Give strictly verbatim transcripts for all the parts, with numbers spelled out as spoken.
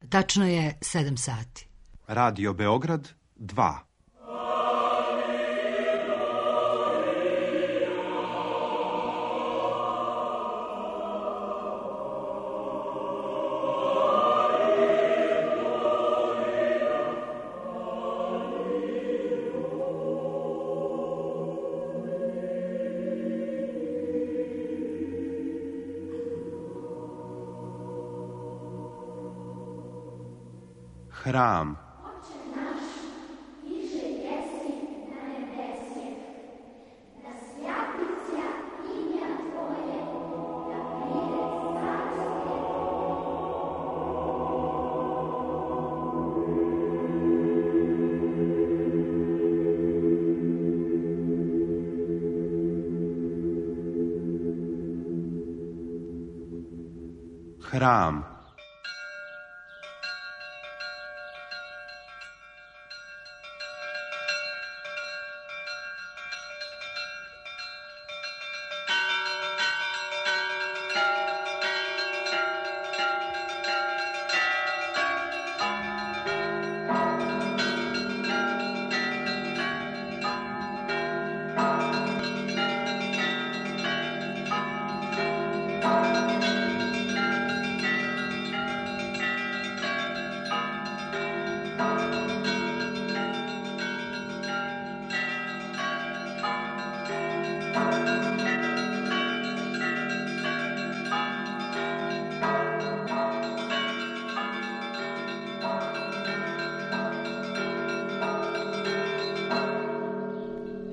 Tačno je sedam sati. Radio Beograd dva. Hram. Hram.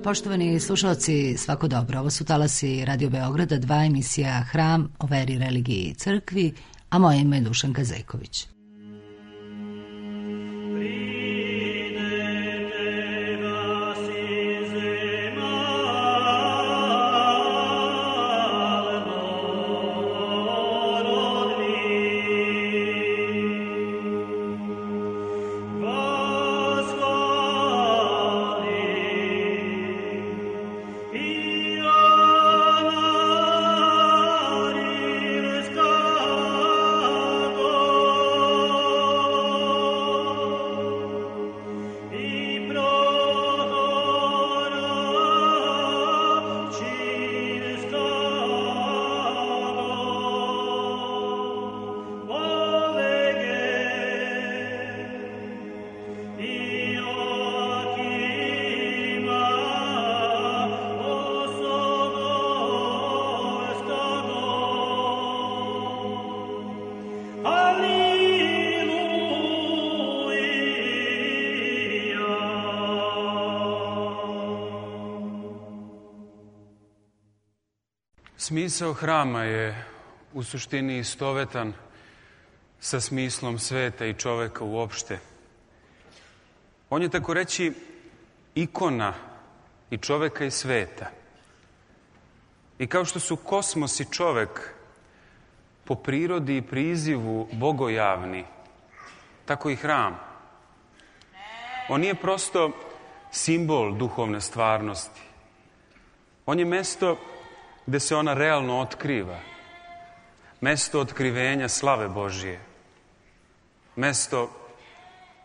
Poštovani slušalci, svako dobro. Ovo su talasi Radio Beograda dva, emisija Hram o veri, religiji i crkvi, a moje ime je Dušanka Zejković. Smisao hrama je u suštini istovetan sa smislom sveta i čoveka uopšte. On je, tako reći, ikona i čoveka i sveta. I kao što su kosmos i čovek po prirodi i prizivu bogojavni, tako i hram. On nije prosto simbol duhovne stvarnosti. On je mesto gde se ona realno otkriva. Mesto otkrivenja slave Božije. Mesto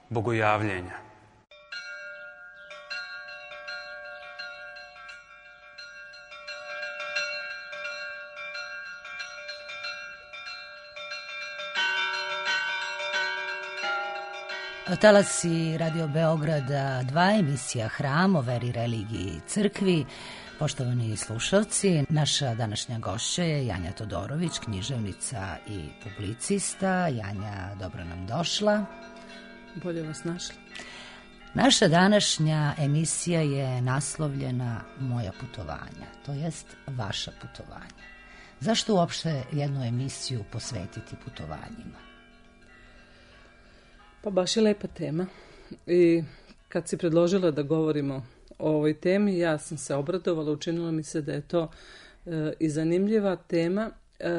bogojavljenja. Talasi Radio Beograda dva, emisija Hram o veri, religiji i crkvi. Poštovani slušalci, naša današnja gošća je Janja Todorović, književnica i publicista. Janja, dobro nam došla. Bolje vas našla. Naša današnja emisija je naslovljena Moja putovanja, to jest vaša putovanja. Zašto uopšte jednu emisiju posvetiti putovanjima? Pa baš je lepa tema. I kad si predložila da govorimo o ovoj temi, ja sam se obradovala, učinilo mi se da je to e, i zanimljiva tema e,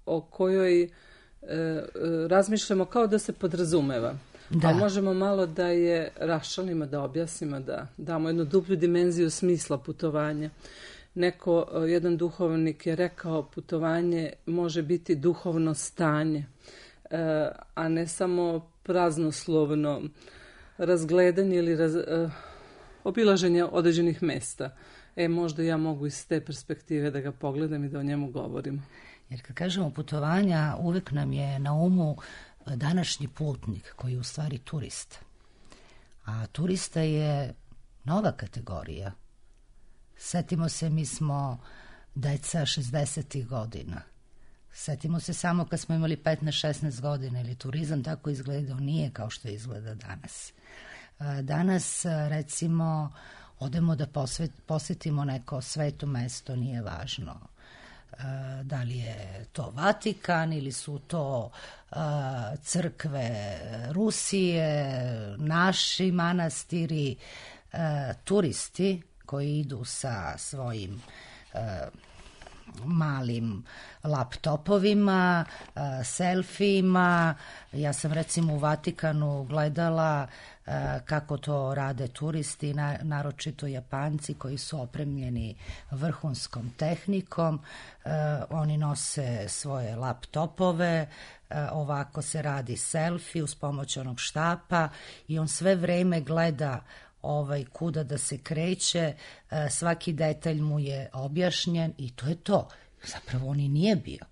o kojoj e, razmišljamo kao da se podrazumeva. Da. A možemo malo da je raščlanimo, da objasnimo, da damo jednu dublju dimenziju smisla putovanja. Neko, jedan duhovnik je rekao, putovanje može biti duhovno stanje. a ne samo praznoslovno razgledanje ili raz, obilaženje određenih mesta. E, možda ja mogu iz te perspektive da ga pogledam i da o njemu govorim. Jer kad kažemo putovanja, uvek nam je na umu današnji putnik koji je u stvari turista. A turista je nova kategorija. Setimo se, mi smo deca šezdesetih godina. Setimo se samo kad smo imali petnaest šesnaest godina, ili turizam tako izgledao, nije kao što izgleda danas. Danas, recimo, odemo da posvet, posjetimo neko sveto mesto, nije važno da li je to Vatikan ili su to uh, crkve Rusije, naši manastiri, uh, turisti koji idu sa svojim uh, malim laptopovima, uh, selfijima. Ja sam recimo u Vatikanu gledala uh, kako to rade turisti, na, naročito Japanci koji su opremljeni vrhunskom tehnikom. Uh, oni nose svoje laptopove, uh, ovako se radi selfie uz pomoć onog štapa i on sve vreme gleda ovaj, kuda da se kreće, svaki detalj mu je objašnjen i to je to. Zapravo on i nije bio.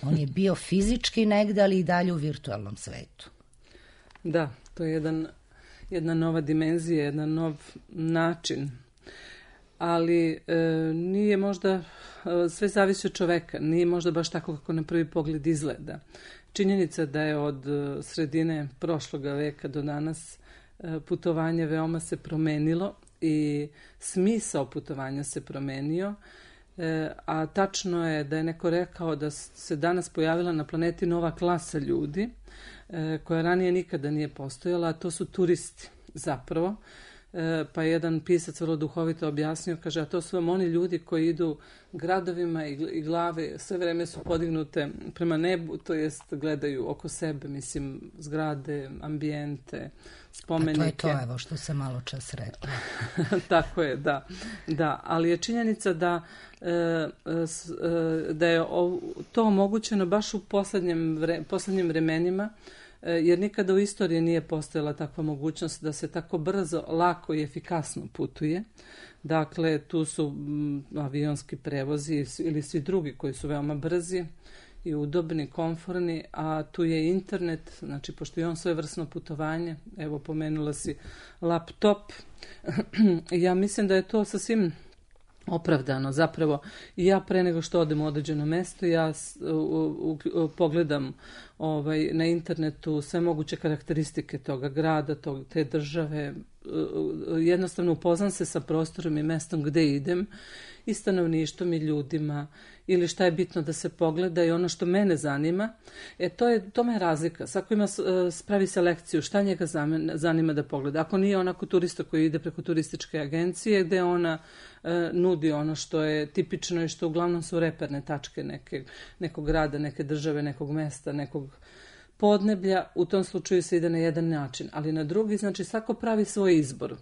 On je bio fizički negde, ali i dalje u virtualnom svetu. Da, to je jedan, jedna nova dimenzija, jedan nov način. Ali e, nije možda, e, sve zavisi od čoveka, nije možda baš tako kako na prvi pogled izgleda. Činjenica da je od sredine prošloga veka do danas putovanje veoma se promenilo i smisao putovanja se promenio, a tačno je da je neko rekao da se danas pojavila na planeti nova klasa ljudi koja ranije nikada nije postojala, a to su turisti zapravo. Pa je jedan pisac vrlo duhovito objasnio, kaže, a to su vam oni ljudi koji idu gradovima i glave sve vreme su podignute prema nebu, to jest gledaju oko sebe, mislim, zgrade, ambijente, spomenike. A to je to, evo, što se malo čas rekla. Tako je, da. Da, ali je činjenica da, da je to omogućeno baš u poslednjem vre, poslednjim vremenima, jer nikada u istoriji nije postojala takva mogućnost da se tako brzo, lako i efikasno putuje. Dakle, tu su avionski prevozi ili svi drugi koji su veoma brzi i udobni, komforni, a tu je internet, znači pošto je on svojevrsno putovanje, evo pomenula si laptop, ja mislim da je to sasvim opravdano. Zapravo, ja pre nego što odem u određeno mesto, ja u, u, u, pogledam ovaj, na internetu sve moguće karakteristike toga grada, tog, te države. Jednostavno upoznam se sa prostorom i mestom gde idem i stanovništvom i ljudima ili šta je bitno da se pogleda i ono što mene zanima. E, to je, tome je razlika. Svako ima, spravi selekciju šta njega zanima da pogleda. Ako nije onako turista koji ide preko turističke agencije gde ona e, nudi ono što je tipično i što uglavnom su reperne tačke neke, nekog grada, neke države, nekog mesta, nekog podneblja, u tom slučaju se ide na jedan način, ali na drugi, znači svako pravi svoj izbor.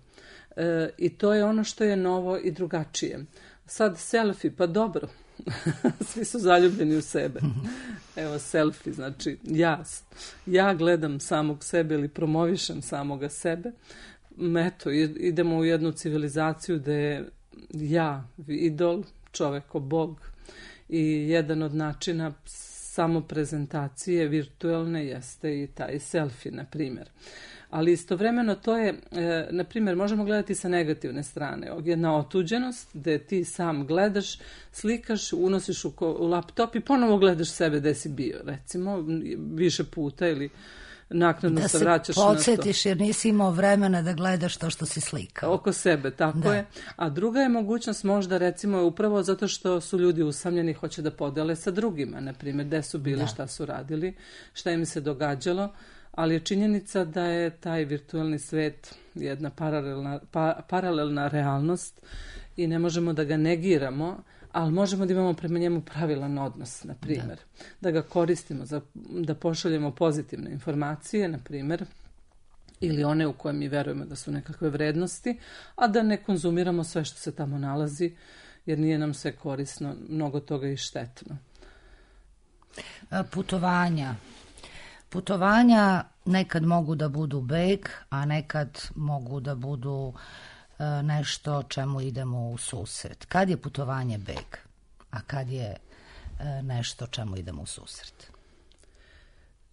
E, I to je ono što je novo i drugačije. Sad selfie, pa dobro, svi su zaljubljeni u sebe. Evo selfie, znači ja, ja gledam samog sebe ili promovišem samoga sebe. Eto, idemo u jednu civilizaciju gde je ja idol, čoveko bog i jedan od načina samo prezentacije virtualne jeste i taj selfie, na primjer. Ali istovremeno to je, e, na primjer, možemo gledati sa negativne strane. Jedna otuđenost gde ti sam gledaš, slikaš, unosiš u, u laptop i ponovo gledaš sebe gde si bio, recimo, više puta ili naknadno da se vraćaš na to. Da se podsjetiš jer nisi imao vremena da gledaš to što si slikao. Oko sebe, tako da. Je. A druga je mogućnost možda recimo upravo zato što su ljudi usamljeni, hoće da podele sa drugima, na primjer, gde su bili, da. Šta su radili, šta im se događalo, ali je činjenica da je taj virtualni svet jedna paralelna, pa, paralelna realnost i ne možemo da ga negiramo, ali možemo da imamo prema njemu pravilan odnos, na primjer. Da. da ga koristimo, za, da pošaljemo pozitivne informacije, na primjer, ili one u koje mi verujemo da su nekakve vrednosti, a da ne konzumiramo sve što se tamo nalazi, jer nije nam sve korisno, mnogo toga i štetno. Putovanja. Putovanja nekad mogu da budu beg, a nekad mogu da budu e, nešto čemu idemo u susret. Kad je putovanje beg, a kad je e, nešto čemu idemo u susret?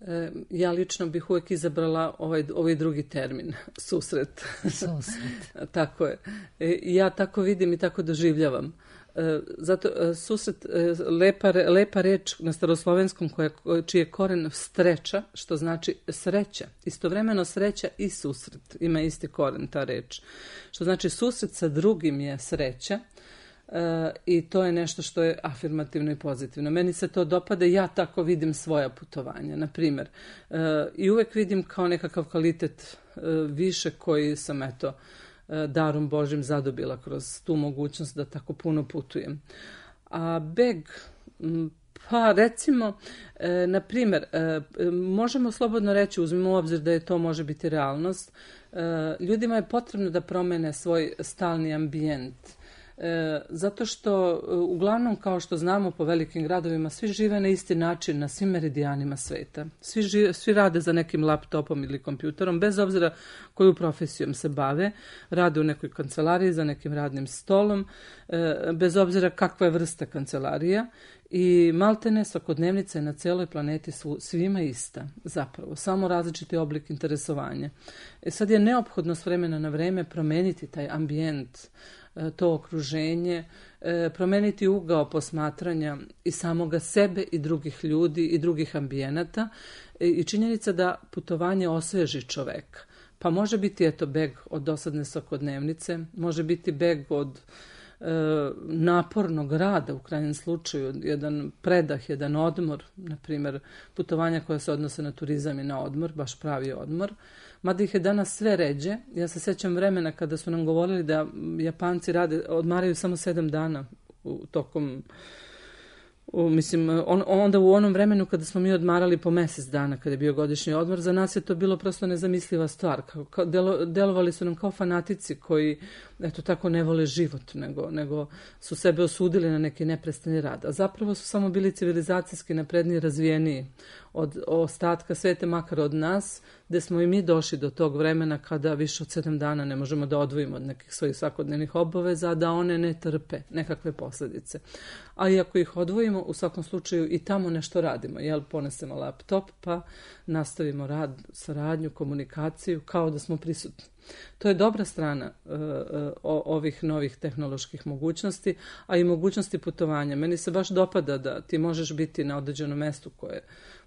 E, ja lično bih uvijek izabrala ovaj, ovaj drugi termin, susret. Susret. Tako je. E, ja tako vidim i tako doživljavam. E, zato e, susret, e, lepa, lepa reč na staroslovenskom koja, čiji je koren streča, što znači sreća. Istovremeno sreća i susret. Ima isti koren ta reč. Što znači susret sa drugim je sreća. E, i to je nešto što je afirmativno i pozitivno. Meni se to dopada, ja tako vidim svoja putovanja, na primjer. E, I uvek vidim kao nekakav kvalitet e, više koji sam, eto, e, darom Božim zadobila kroz tu mogućnost da tako puno putujem. A beg, m, pa recimo, e, na primjer, e, možemo slobodno reći, uzmimo u obzir da je to može biti realnost, e, ljudima je potrebno da promene svoj stalni ambijent. E, zato što uglavnom, kao što znamo, po velikim gradovima svi žive na isti način na svim meridijanima sveta. Svi, žive, svi rade za nekim laptopom ili kompjuterom, bez obzira koju profesijom se bave. Rade u nekoj kancelariji za nekim radnim stolom, e, bez obzira kakva je vrsta kancelarija. I maltene svakodnevnica je na cijeloj planeti su svima ista, zapravo, samo različiti oblik interesovanja. E sad je neophodno s vremena na vreme promeniti taj ambijent, to okruženje, promeniti ugao posmatranja i samoga sebe i drugih ljudi i drugih ambijenata i činjenica da putovanje osveži čoveka. Pa može biti, eto, beg od dosadne svakodnevnice, može biti beg od napornog rada, u krajnjem slučaju, jedan predah, jedan odmor, na primjer putovanja koja se odnose na turizam i na odmor, baš pravi odmor. Mada ih je danas sve ređe. Ja se sjećam vremena kada su nam govorili da Japanci rade, odmaraju samo sedam dana u tokom, u, mislim, on, onda u onom vremenu kada smo mi odmarali po mjesec dana, kada je bio godišnji odmor, za nas je to bilo prosto nezamisliva stvar. Kao, kao, delo, delovali su nam kao fanatici koji, eto, tako ne vole život, nego, nego su sebe osudili na neki neprestani rad. A zapravo su samo bili civilizacijski napredniji i razvijeniji od ostatka sveta, makar od nas, gdje smo i mi došli do tog vremena kada više od sedam dana ne možemo da odvojimo od nekih svojih svakodnevnih obaveza, da one ne trpe nekakve posljedice. A i ako ih odvojimo, u svakom slučaju i tamo nešto radimo. Jel, ponesemo laptop pa nastavimo rad, saradnju, komunikaciju, kao da smo prisutni. To je dobra strana uh, uh, ovih novih tehnoloških mogućnosti, a i mogućnosti putovanja. Meni se baš dopada da ti možeš biti na određenom mjestu koje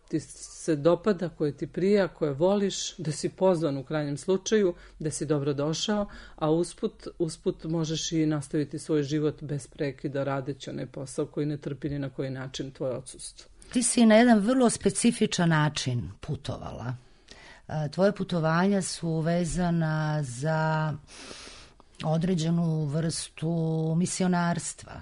ti se dopada, koje ti prija, koje voliš, da si pozvan u krajnjem slučaju, da si dobro došao, a usput, usput možeš i nastaviti svoj život bez prekida radeći onaj posao koji ne trpi ni na koji način tvoje odsustvo. Ti si na jedan vrlo specifičan način putovala. Tvoje putovanja su vezana za određenu vrstu misionarstva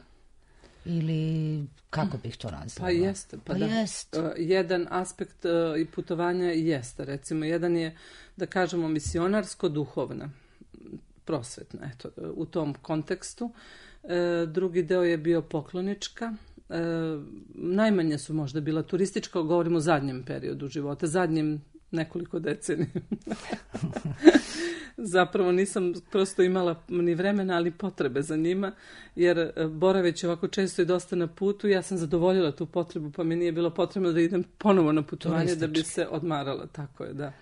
ili kako bih to nazvala? Pa jeste. Pa, pa da. jest. Uh, jedan aspekt uh, i putovanja jeste. Recimo, jedan je, da kažemo, misionarsko-duhovna, prosvetna, eto, u tom kontekstu. Uh, drugi deo je bio poklonička. Uh, najmanje su možda bila turistička, govorimo o zadnjem periodu života, zadnjem nekoliko decenija. Zapravo nisam prosto imala ni vremena, ali potrebe za njima, jer boraveći ovako često i dosta na putu, ja sam zadovoljila tu potrebu, pa mi nije bilo potrebno da idem ponovo na putovanje Turistički. Da bi se odmarala, tako je, da.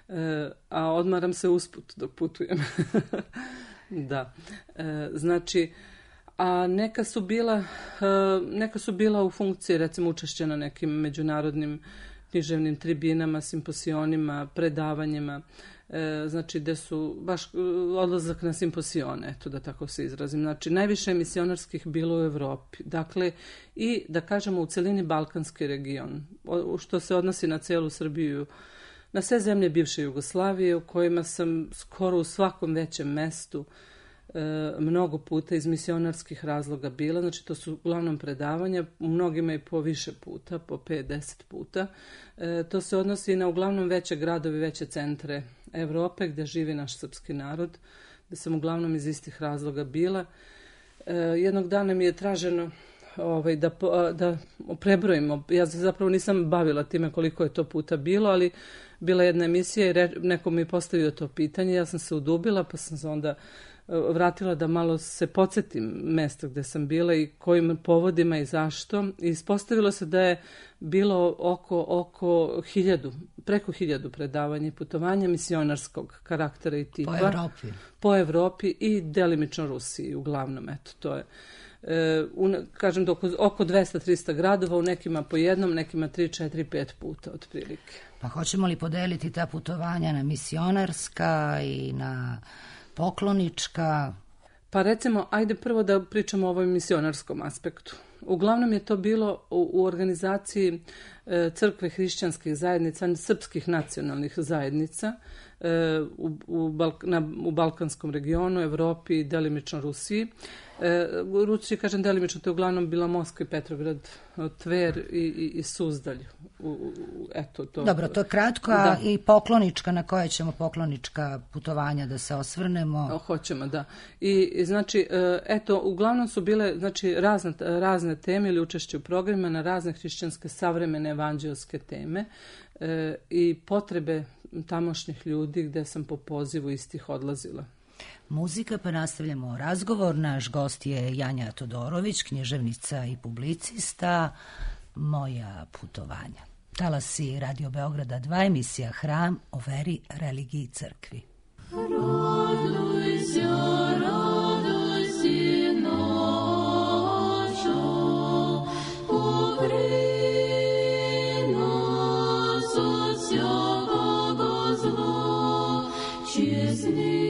E, a odmaram se usput dok putujem. Da. E, znači, a neka su bila, e, neka su bila u funkciji, recimo, učešća na nekim međunarodnim književnim tribinama, simposionima, predavanjima, e, znači gdje su baš odlazak na simposione, eto da tako se izrazim. Znači najviše misionarskih bilo u Europi. Dakle, i da kažemo u celini Balkanski region, o, što se odnosi na cijelu Srbiju, na sve zemlje bivše Jugoslavije, u kojima sam skoro u svakom većem mestu E, mnogo puta iz misionarskih razloga bila, znači to su uglavnom predavanja, u mnogima i po više puta, po pet do deset puta. E, to se odnosi na uglavnom veće gradovi, veće centre Evrope gdje živi naš srpski narod, gdje sam uglavnom iz istih razloga bila. E, jednog dana mi je traženo ovaj, da, da prebrojimo. Ja se zapravo nisam bavila time koliko je to puta bilo, ali bila jedna emisija i re, neko mi je postavio to pitanje. Ja sam se udubila, pa sam se onda vratila da malo se podsjetim mesta gde sam bila i kojim povodima i zašto. I ispostavilo se da je bilo oko, oko hiljadu, preko hiljadu predavanja i putovanja misionarskog karaktera i tipa. Po Evropi. Po Evropi i delimično Rusiji, uglavnom, eto, to je. E, u, kažem da oko, oko dvesta do trista gradova, u nekima po jednom, nekima tri, četiri, pet puta otprilike. Pa hoćemo li podeliti ta putovanja na misionarska i na poklonička? Pa recimo, ajde prvo da pričamo o ovom misionarskom aspektu. Uglavnom je to bilo u, u organizaciji e, crkve hrišćanskih zajednica, srpskih nacionalnih zajednica e, u, u, Balk, na, u Balkanskom regionu, Evropi i delimično Rusiji. E, u Rusiji, kažem delimično, to je uglavnom bila Moskva i Petrograd, Tver i, i, i Suzdalj. U, u, eto, to, Dobro, to je kratko, a i poklonička, na koje ćemo poklonička putovanja da se osvrnemo? O, hoćemo, da. I, i znači, eto, uglavnom su bile znači, razne, razne teme ili učešće u programima na razne hrišćanske savremene evanđelske teme e, i potrebe tamošnjih ljudi gde sam po pozivu istih odlazila. Muzika, pa nastavljamo razgovor. Naš gost je Janja Todorović, književnica i publicista. Moja putovanja. Talasi Radio Beograda dva, emisija Hram o veri, religiji i crkvi. Raduj se, raduj se naša, pokri nas od svjakoga zla, čestni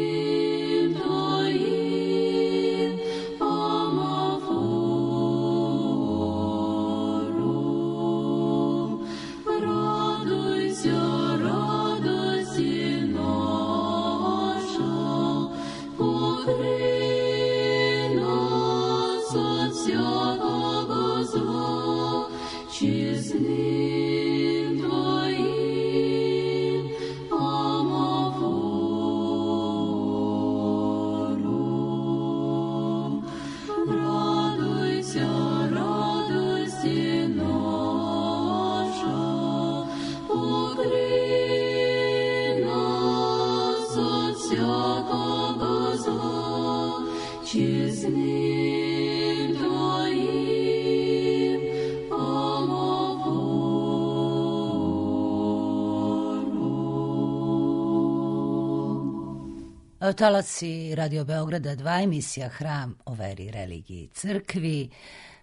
Talasi Radio Beograda dva, emisija Hram o veri, religiji i crkvi.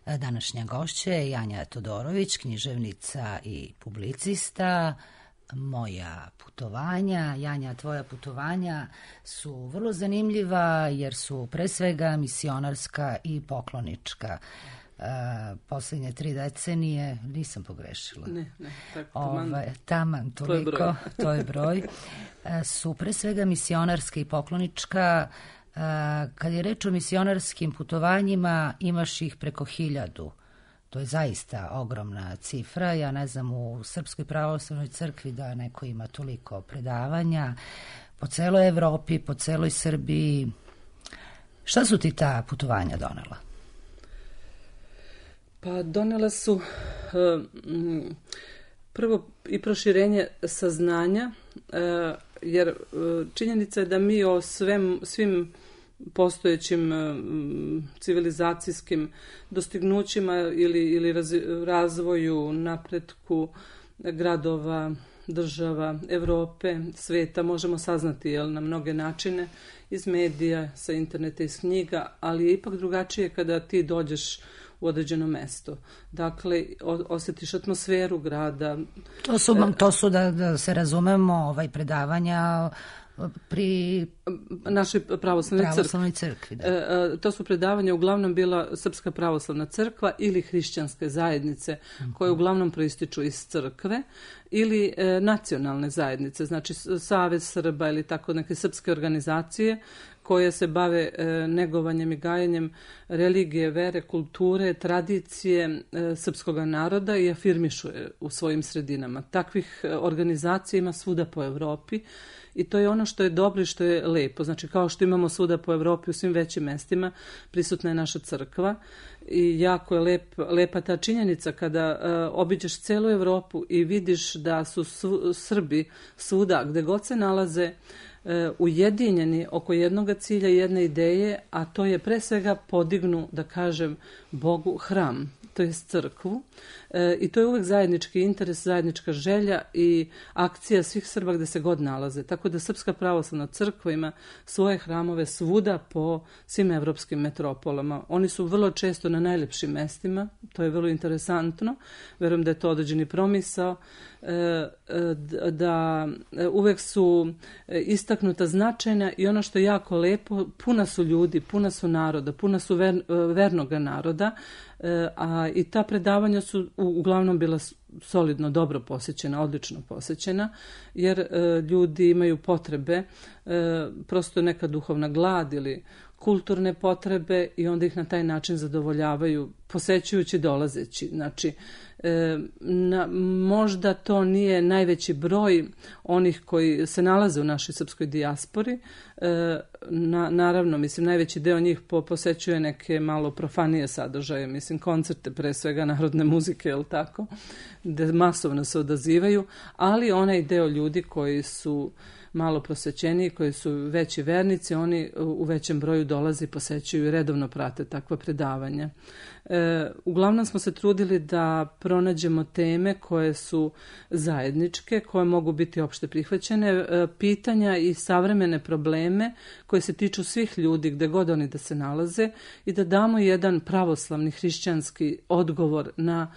Današnja gošća je Janja Todorović, književnica i publicista. Moja putovanja, Janja, tvoja putovanja su vrlo zanimljiva jer su pre svega misionarska i poklonička. Uh, posljednje tri decenije, nisam pogrešila. Ne, ne, tako taman. Ove, taman, toliko, to je broj. to je broj. Uh, su pre svega misionarska i poklonička. Uh, kad je reč o misionarskim putovanjima, imaš ih preko hiljadu. To je zaista ogromna cifra. Ja ne znam u Srpskoj pravoslavnoj crkvi da neko ima toliko predavanja. Po celoj Evropi, po celoj Srbiji. Šta su ti ta putovanja donela? Pa donela su uh, prvo i proširenje saznanja, uh, jer uh, činjenica je da mi o svem, svim postojećim uh, civilizacijskim dostignućima ili, ili raz, razvoju, napretku gradova, država, Evrope, sveta možemo saznati jel, na mnoge načine iz medija, sa interneta, iz knjiga, ali je ipak drugačije kada ti dođeš u određeno mesto. Dakle, osjetiš atmosferu grada. To su, to su da, da se razumemo, ovaj, predavanja pri našoj pravoslavnoj, pravoslavnoj crkvi. Da. E, to su predavanja uglavnom bila Srpska pravoslavna crkva ili hrišćanske zajednice uh-huh. koje uglavnom proističu iz crkve ili e, nacionalne zajednice, znači Savez Srba ili tako neke srpske organizacije koje se bave e, negovanjem i gajenjem religije, vere, kulture, tradicije e, srpskog naroda i afirmišu je u svojim sredinama. Takvih organizacija ima svuda po Evropi i to je ono što je dobro i što je lepo. Znači kao što imamo svuda po Evropi u svim većim mestima, prisutna je naša crkva i jako je lep, lepa ta činjenica kada uh, obiđeš celu Evropu i vidiš da su su, Srbi svuda gde god se nalaze uh, ujedinjeni oko jednog cilja i jedne ideje, a to je pre svega podignu, da kažem, Bogu hram, to je crkvu. E, I to je uvek zajednički interes, zajednička želja i akcija svih Srba gde se god nalaze. Tako da Srpska pravoslavna crkva ima svoje hramove svuda po svim evropskim metropolama. Oni su vrlo često na najlepšim mestima, to je vrlo interesantno. Verujem da je to određeni promisao, e, da uvek su istaknuta značajna i ono što je jako lepo, puna su ljudi, puna su naroda, puna su ver, vernoga naroda, a i ta predavanja su uglavnom bila solidno dobro posećena, odlično posećena, jer e, ljudi imaju potrebe, e, prosto neka duhovna glad ili kulturne potrebe i onda ih na taj način zadovoljavaju posećujući, dolazeći. Znači, e, na, možda to nije najveći broj onih koji se nalaze u našoj srpskoj dijaspori. E, na, naravno, mislim, najveći deo njih po, posećuje neke malo profanije sadržaje, mislim, koncerte, pre svega narodne muzike, jel tako, gde masovno se odazivaju, ali onaj deo ljudi koji su malo prosvećeniji, koji su veći vernici, oni u većem broju dolaze i posećuju i redovno prate takva predavanja. E, uglavnom smo se trudili da pronađemo teme koje su zajedničke, koje mogu biti opšte prihvaćene, e, pitanja i savremene probleme koje se tiču svih ljudi gde god oni da se nalaze i da damo jedan pravoslavni hrišćanski odgovor na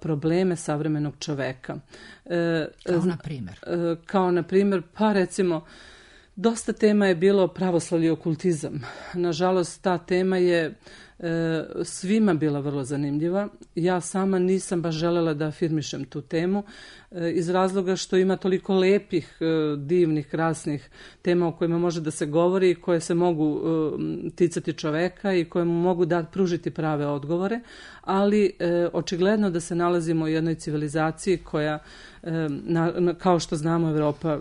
probleme savremenog čoveka. Kao na primjer? Kao na primjer, pa recimo, dosta tema je bilo pravoslavlje i okultizam. Nažalost, ta tema je e, svima bila vrlo zanimljiva. Ja sama nisam baš želela da afirmišem tu temu e, iz razloga što ima toliko lepih, e, divnih, krasnih tema o kojima može da se govori i koje se mogu e, ticati čoveka i koje mu mogu da pružiti prave odgovore, ali e, očigledno da se nalazimo u jednoj civilizaciji koja, e, na, na, kao što znamo, Evropa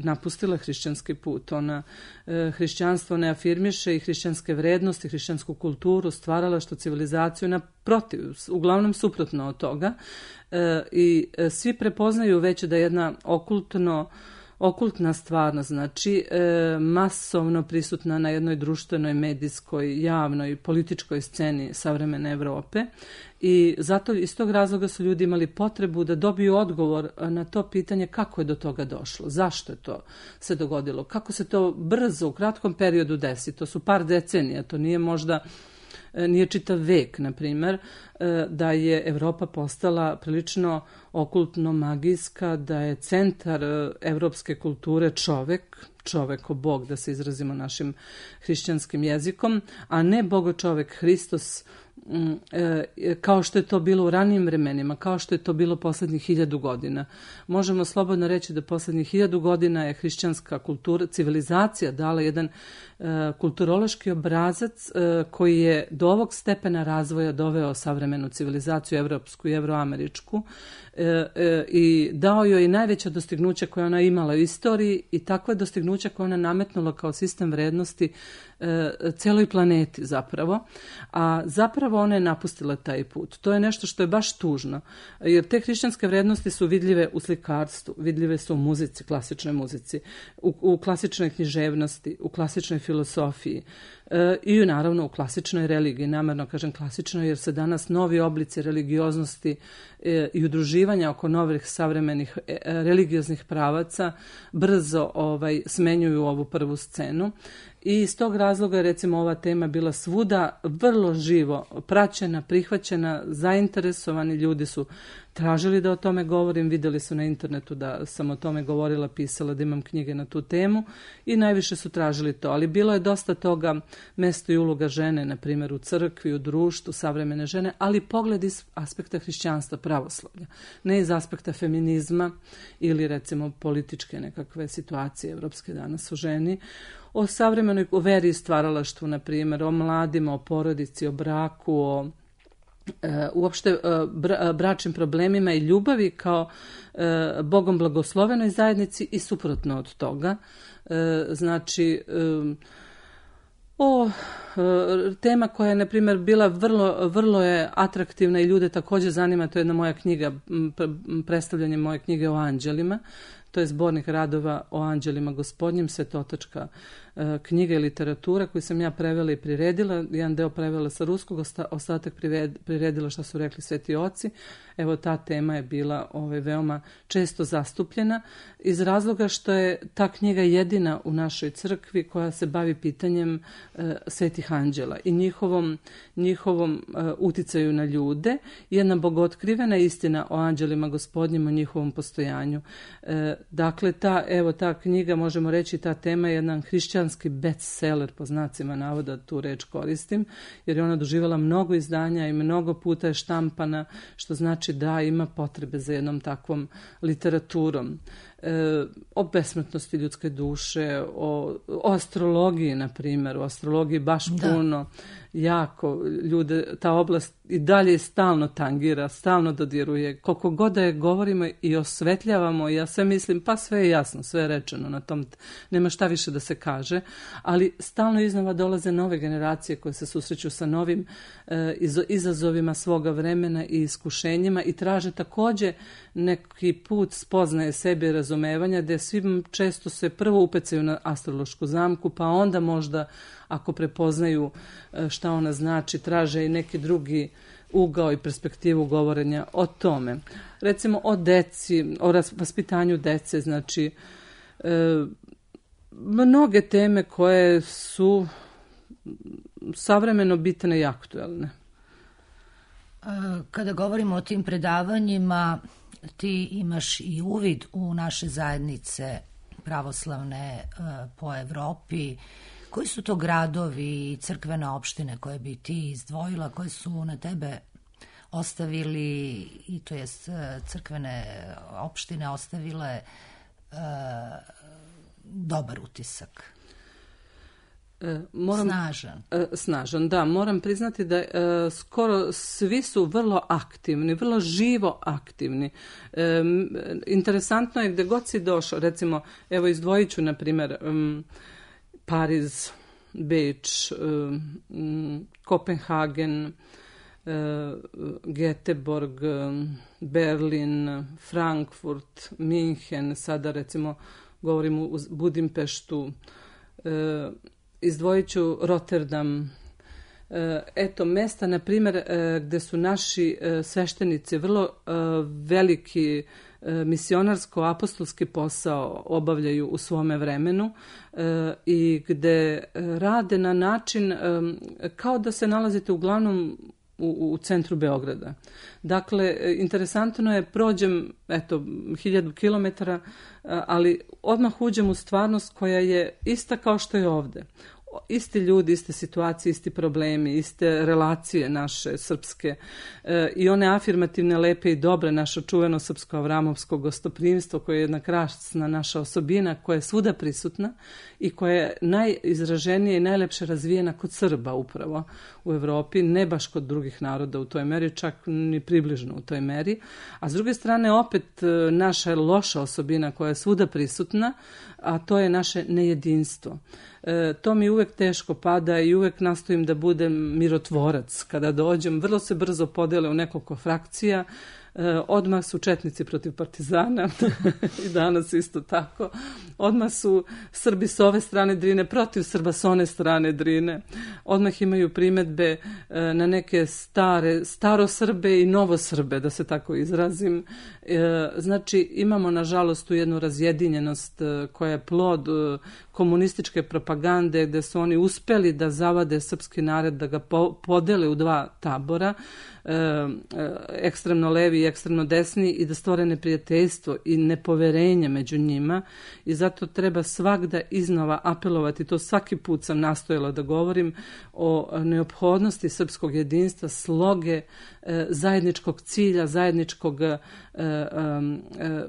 napustila hrišćanski put. Ona e, hrišćanstvo ne afirmiše i hrišćanske vrednosti, hrišćansku kulturu, stvarala što civilizaciju naprotiv, uglavnom suprotno od toga. E, I e, svi prepoznaju već da je jedna okultno okultna stvarnost, znači e, masovno prisutna na jednoj društvenoj, medijskoj, javnoj, političkoj sceni savremene Evrope i zato iz tog razloga su ljudi imali potrebu da dobiju odgovor na to pitanje kako je do toga došlo, zašto je to se dogodilo, kako se to brzo u kratkom periodu desi, to su par decenija, to nije možda nije čitav vek, na primjer, da je Evropa postala prilično okultno magijska, da je centar evropske kulture čovek, čoveko Bog, da se izrazimo našim hrišćanskim jezikom, a ne Bogo čovek Hristos, kao što je to bilo u ranijim vremenima, kao što je to bilo poslednjih hiljadu godina. Možemo slobodno reći da poslednjih hiljadu godina je hrišćanska kultura, civilizacija dala jedan uh, kulturološki obrazac uh, koji je do ovog stepena razvoja doveo savremenu civilizaciju, evropsku i evroameričku, uh, uh, i dao joj i najveća dostignuća koja ona imala u istoriji i takva dostignuća koja ona nametnula kao sistem vrednosti celoj planeti zapravo, a zapravo ona je napustila taj put. To je nešto što je baš tužno, jer te hrišćanske vrednosti su vidljive u slikarstvu, vidljive su u muzici, klasičnoj muzici, u, u klasičnoj književnosti, u klasičnoj filosofiji e, i naravno u klasičnoj religiji. Namerno kažem klasičnoj jer se danas novi oblici religioznosti e, i udruživanja oko novih savremenih e, religioznih pravaca brzo ovaj, smenjuju ovu prvu scenu. I iz tog razloga je recimo ova tema bila svuda vrlo živo praćena, prihvaćena, zainteresovani ljudi su tražili da o tome govorim, videli su na internetu da sam o tome govorila, pisala, da imam knjige na tu temu i najviše su tražili to. Ali bilo je dosta toga, mesto i uloga žene, na primjer u crkvi, u društvu, savremene žene, ali pogled iz aspekta hrišćanstva, pravoslavlja, ne iz aspekta feminizma ili recimo političke nekakve situacije evropske danas u ženi, o savremenoj o veri i stvaralaštvu, na primjer, o mladima, o porodici, o braku, o e, uopšte e, bra, bračnim problemima i ljubavi kao e, Bogom blagoslovenoj zajednici i suprotno od toga. E, znači, e, O, tema koja je, na primjer, bila vrlo, vrlo je atraktivna i ljude također zanima, to je jedna moja knjiga, predstavljanje moje knjige o anđelima. To je zbornik radova o anđelima gospodnjim, svetotočka knjiga i literatura koju sam ja prevela i priredila. Jedan deo prevela sa ruskog, ostatak priredila što su rekli sveti oci. Evo, ta tema je bila ovaj, veoma često zastupljena iz razloga što je ta knjiga jedina u našoj crkvi koja se bavi pitanjem e, svetih anđela i njihovom, njihovom e, uticaju na ljude. Jedna bogotkrivena istina o anđelima gospodnjim, o njihovom postojanju. E, dakle, ta, evo, ta knjiga, možemo reći, ta tema je jedan hrišćanski bestseller, po znacima navoda tu reč koristim, jer je ona doživjela mnogo izdanja i mnogo puta je štampana, što znači da ima potrebe za jednom takvom literaturom. E, o besmrtnosti ljudske duše, o, o astrologiji, na primjer, o astrologiji baš da. puno, jako ljude, ta oblast i dalje stalno tangira, stalno dodiruje. Koliko god da je govorimo i osvetljavamo, ja sve mislim, pa sve je jasno, sve je rečeno na tom, nema šta više da se kaže, ali stalno iznova dolaze nove generacije koje se susreću sa novim e, izazovima svoga vremena i iskušenjima i traže također neki put spoznaje sebe i razumevanja, gdje svi često se prvo upecaju na astrološku zamku, pa onda možda ako prepoznaju šta ona znači, traže i neki drugi ugao i perspektivu govorenja o tome. Recimo o deci, o vaspitanju dece, znači e, mnoge teme koje su savremeno bitne i aktuelne. Kada govorimo o tim predavanjima, ti imaš i uvid u naše zajednice pravoslavne po Evropi. Koji su to gradovi i crkvene opštine koje bi ti izdvojila, koje su na tebe ostavili, i to jest crkvene opštine ostavile uh, dobar utisak? Moram, snažan. Snažan, da. Moram priznati da e, skoro svi su vrlo aktivni, vrlo živo aktivni. E, interesantno je gdje god si došao, recimo, evo izdvojit ću, na primjer, um, Pariz, Beč, um, Kopenhagen, uh, Göteborg, Berlin, Frankfurt, Minhen, sada recimo govorimo u Budimpeštu, uh, izdvojit ću Rotterdam. Eto, mesta, na primjer, gdje su naši sveštenici vrlo veliki misionarsko-apostolski posao obavljaju u svome vremenu i gdje rade na način kao da se nalazite uglavnom u, u centru Beograda. Dakle, interesantno je, prođem, eto, hiljadu kilometara, ali odmah uđem u stvarnost koja je ista kao što je ovdje. Isti ljudi, iste situacije, isti problemi, iste relacije naše srpske e, i one afirmativne, lepe i dobre, naše čuveno srpsko-avramovsko gostoprimstvo koje je jedna krasna naša osobina koja je svuda prisutna i koja je najizraženije i najlepše razvijena kod Srba upravo u Evropi, ne baš kod drugih naroda u toj meri, čak ni približno u toj meri. A s druge strane opet naša loša osobina koja je svuda prisutna, a to je naše nejedinstvo. E, to mi uvek teško pada i uvek nastojim da budem mirotvorac. Kada dođem, vrlo se brzo podele u nekoliko frakcija. E, odmah su četnici protiv partizana i danas isto tako. Odmah su Srbi s ove strane Drine protiv Srba s one strane Drine. Odmah imaju primedbe e, na neke stare, starosrbe i novosrbe, da se tako izrazim. E, znači, imamo nažalost tu jednu razjedinjenost e, koja je plod e, komunističke propagande, gdje su oni uspeli da zavade srpski narod, da ga po, podele u dva tabora, e, e, ekstremno levi i ekstremno desni, i da stvore neprijateljstvo i nepoverenje među njima, i zato treba svagda iznova apelovati, to svaki put sam nastojala da govorim, o neophodnosti srpskog jedinstva, sloge, e, zajedničkog cilja, zajedničkog e, e,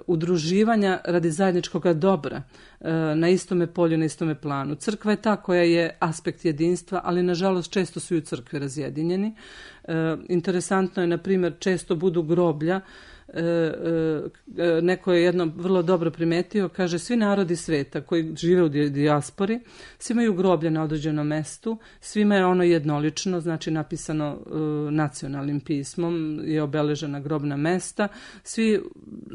udruživanja radi zajedničkog dobra e, na istome polju, na istome planu. Crkva je ta koja je aspekt jedinstva, ali nažalost često su i u crkvi razjedinjeni. E, interesantno je, na primjer, često budu groblja e, e, neko je jedno vrlo dobro primetio, kaže svi narodi sveta koji žive u dijaspori, svi imaju groblje na određenom mestu, svima je ono jednolično, znači napisano e, nacionalnim pismom, je obeležena grobna mesta, svi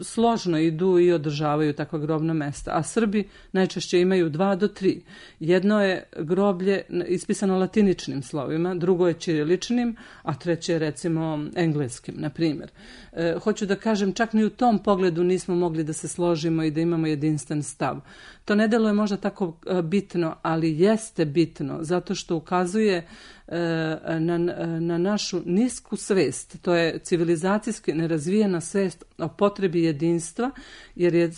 složno idu i održavaju takva grobna mesta, a Srbi najčešće imaju dva do tri. Jedno je groblje ispisano latiničnim slovima, drugo je ćiriličnim, a treće je recimo engleskim, na primjer. E, hoću da kažem, čak ni u tom pogledu nismo mogli da se složimo i da imamo jedinstven stav. To ne deluje možda tako bitno, ali jeste bitno, zato što ukazuje Na, na našu nisku svest, to je civilizacijski nerazvijena svest o potrebi jedinstva, jer je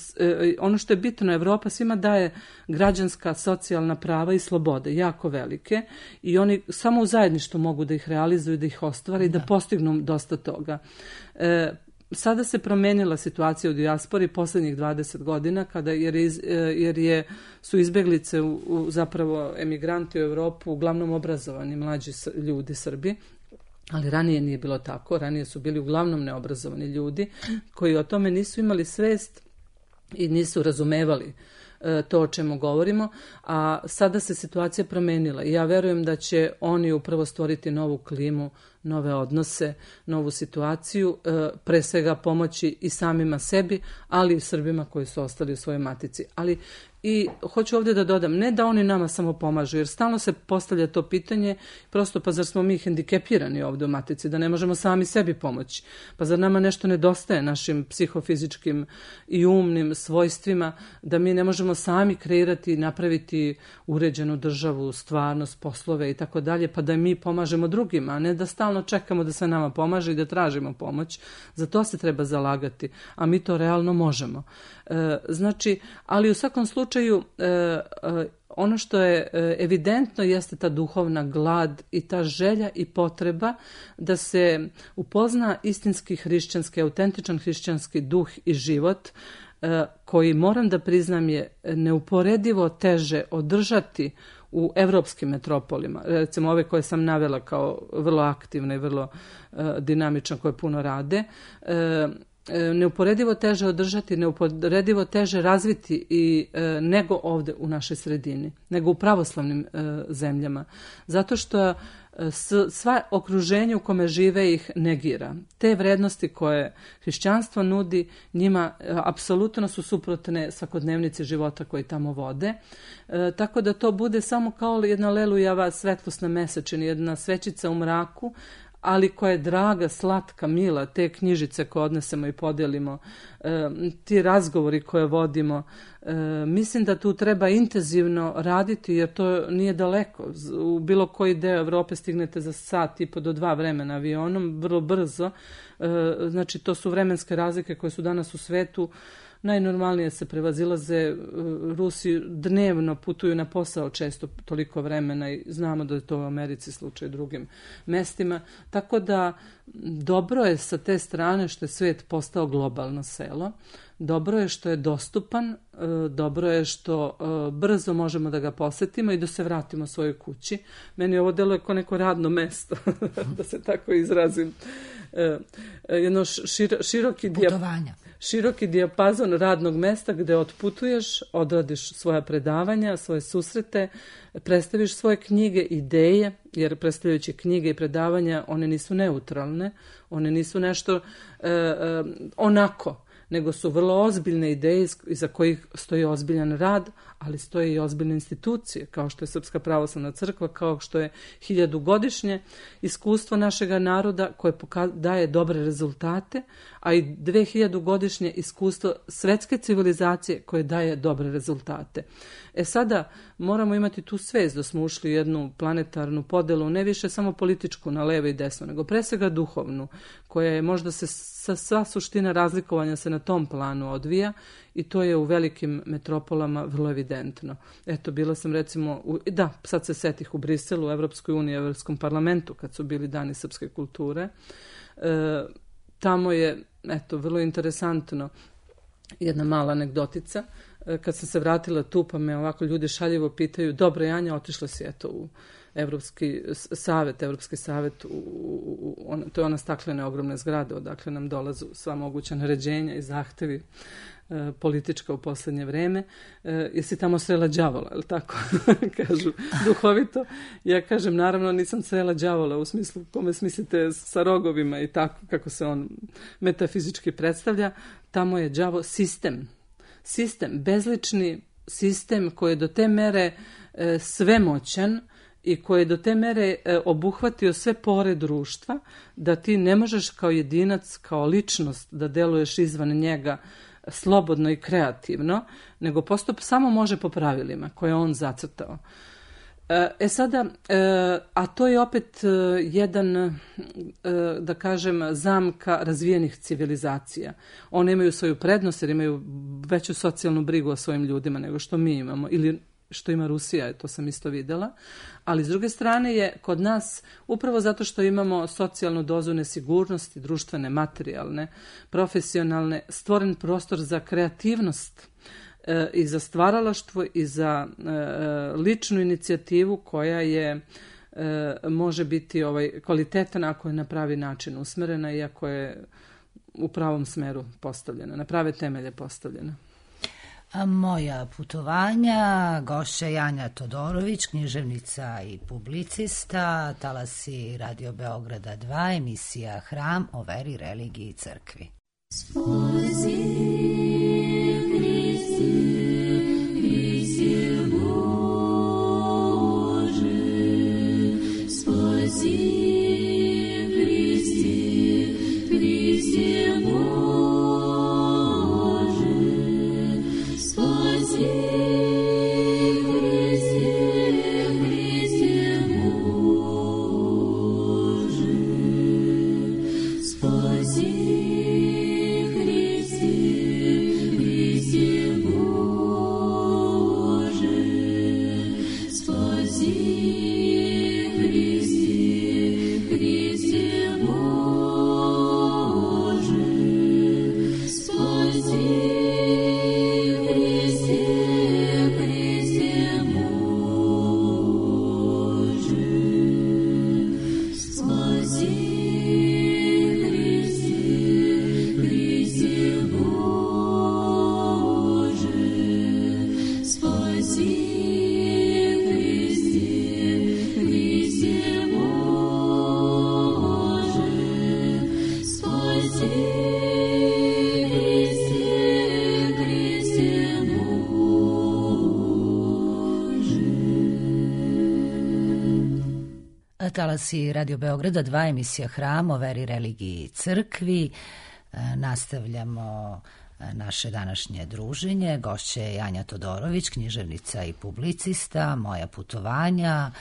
ono što je bitno, Evropa svima daje građanska, socijalna prava i slobode, jako velike, i oni samo u zajedništvu mogu da ih realizuju, da ih ostvare i da, da postignu dosta toga. E, Sada se promenila situacija u dijaspori posljednjih dvadeset godina, kada, jer, iz, jer je, su izbeglice, u, u, zapravo emigranti u Evropu, uglavnom obrazovani mlađi ljudi Srbi, ali ranije nije bilo tako, ranije su bili uglavnom neobrazovani ljudi koji o tome nisu imali svest i nisu razumevali to o čemu govorimo, a sada se situacija promenila i ja verujem da će oni upravo stvoriti novu klimu, nove odnose, novu situaciju, pre svega pomoći i samima sebi, ali i Srbima koji su ostali u svojoj matici. Ali i hoću ovdje da dodam, ne da oni nama samo pomažu, jer stalno se postavlja to pitanje, prosto pa zar smo mi hendikepirani ovdje u matici, da ne možemo sami sebi pomoći, pa zar nama nešto nedostaje našim psihofizičkim i umnim svojstvima, da mi ne možemo sami kreirati i napraviti uređenu državu, stvarnost, poslove i tako dalje, pa da mi pomažemo drugima, a ne da stalno čekamo da se nama pomaže i da tražimo pomoć. Za to se treba zalagati, a mi to realno možemo. E, znači, ali u svakom slučaju e, e, ono što je evidentno jeste ta duhovna glad i ta želja i potreba da se upozna istinski hrišćanski, autentičan hrišćanski duh i život, e, koji, moram da priznam, je neuporedivo teže održati u evropskim metropolima, recimo ove koje sam navela kao vrlo aktivne i vrlo uh, dinamične, koje puno rade, uh, neuporedivo teže održati, neuporedivo teže razviti i e, nego ovde u našoj sredini, nego u pravoslavnim e, zemljama. Zato što e, s, sva okruženje u kome žive ih negira. Te vrednosti koje hrišćanstvo nudi njima e, apsolutno su suprotne svakodnevnici života koji tamo vode. E, tako da to bude samo kao jedna lelujava svetlost na mesečini, jedna svećica u mraku, ali koja je draga, slatka, mila, te knjižice koje odnesemo i podijelimo, e, ti razgovori koje vodimo, e, mislim da tu treba intenzivno raditi, jer to nije daleko. U bilo koji deo Evrope stignete za sat i po do dva vremena avionom, vrlo brzo. E, znači, to su vremenske razlike koje su danas u svetu. Najnormalnije se prevazilaze, Rusi dnevno putuju na posao često toliko vremena i znamo da je to u Americi slučaj i drugim mestima. Tako da dobro je sa te strane što je svet postao globalno selo. Dobro je što je dostupan, dobro je što brzo možemo da ga posetimo i da se vratimo svojoj kući. Meni ovo deluje kao neko radno mesto, da se tako izrazim. Jedno širo, široki putovanja. Široki dijapazon radnog mesta gde otputuješ, odradiš svoja predavanja, svoje susrete, predstaviš svoje knjige, ideje, jer predstavljajući knjige i predavanja, one nisu neutralne, one nisu nešto e, e, onako, nego su vrlo ozbiljne ideje iza kojih stoji ozbiljan rad, ali stoje i ozbiljne institucije, kao što je Srpska pravoslavna crkva, kao što je hiljadugodišnje iskustvo našega naroda koje daje dobre rezultate, a i dve hiljadugodišnje iskustvo svetske civilizacije koje daje dobre rezultate. E sada moramo imati tu svest da smo ušli u jednu planetarnu podelu, ne više samo političku na levo i desno, nego pre svega duhovnu, koja je možda se sa sva suština razlikovanja se na tom planu odvija i to je u velikim metropolama vrlo evidentno. Eto, bila sam recimo, u, da, sad se setih u Briselu, u Evropskoj uniji, u Evropskom parlamentu, kad su bili dani srpske kulture. E, tamo je, eto, vrlo interesantno, jedna mala anegdotica. kad sam se vratila tu, pa me ovako ljudi šaljivo pitaju, dobro Janja, otišla si eto u Evropski savet, Evropski savet, u, u, u, on, to je ona staklena ogromna zgrada, odakle nam dolazu sva moguća naređenja i zahtevi e, politička u poslednje vreme. E, jesi tamo srela đavola, je li tako? Kažu duhovito. Ja kažem, naravno nisam srela đavola u smislu, kome smislite sa rogovima i tako kako se on metafizički predstavlja. Tamo je đavo sistem. Sistem, bezlični sistem koji je do te mere e, svemoćan i koji je do te mere e, obuhvatio sve pore društva, da ti ne možeš kao jedinac, kao ličnost da deluješ izvan njega slobodno i kreativno, nego postup samo može po pravilima koje je on zacrtao. E sada, e, a to je opet e, jedan, e, da kažem, zamka razvijenih civilizacija. One imaju svoju prednost jer imaju veću socijalnu brigu o svojim ljudima nego što mi imamo, ili što ima Rusija, to sam isto videla. Ali s druge strane je kod nas, upravo zato što imamo socijalnu dozu nesigurnosti, društvene, materijalne, profesionalne, stvoren prostor za kreativnost e, i za stvaralaštvo i za e, ličnu inicijativu koja je e, može biti ovaj, kvalitetna ako je na pravi način usmerena i ako je u pravom smeru postavljena, na prave temelje postavljena. A moja putovanja, gošća Janja Todorović, književnica i publicista, talasi Radio Beograda dva, emisija Hram o veri, religiji i crkvi. Spozi, Hristi, Hristi Bože, spozi, Hristi, Hristi Bože. Talasi Radio Beograda dva, emisija Hram o veri, religiji i crkvi. Nastavljamo naše današnje druženje. Gošća je Janja Todorović, književnica i publicista. Moja putovanja.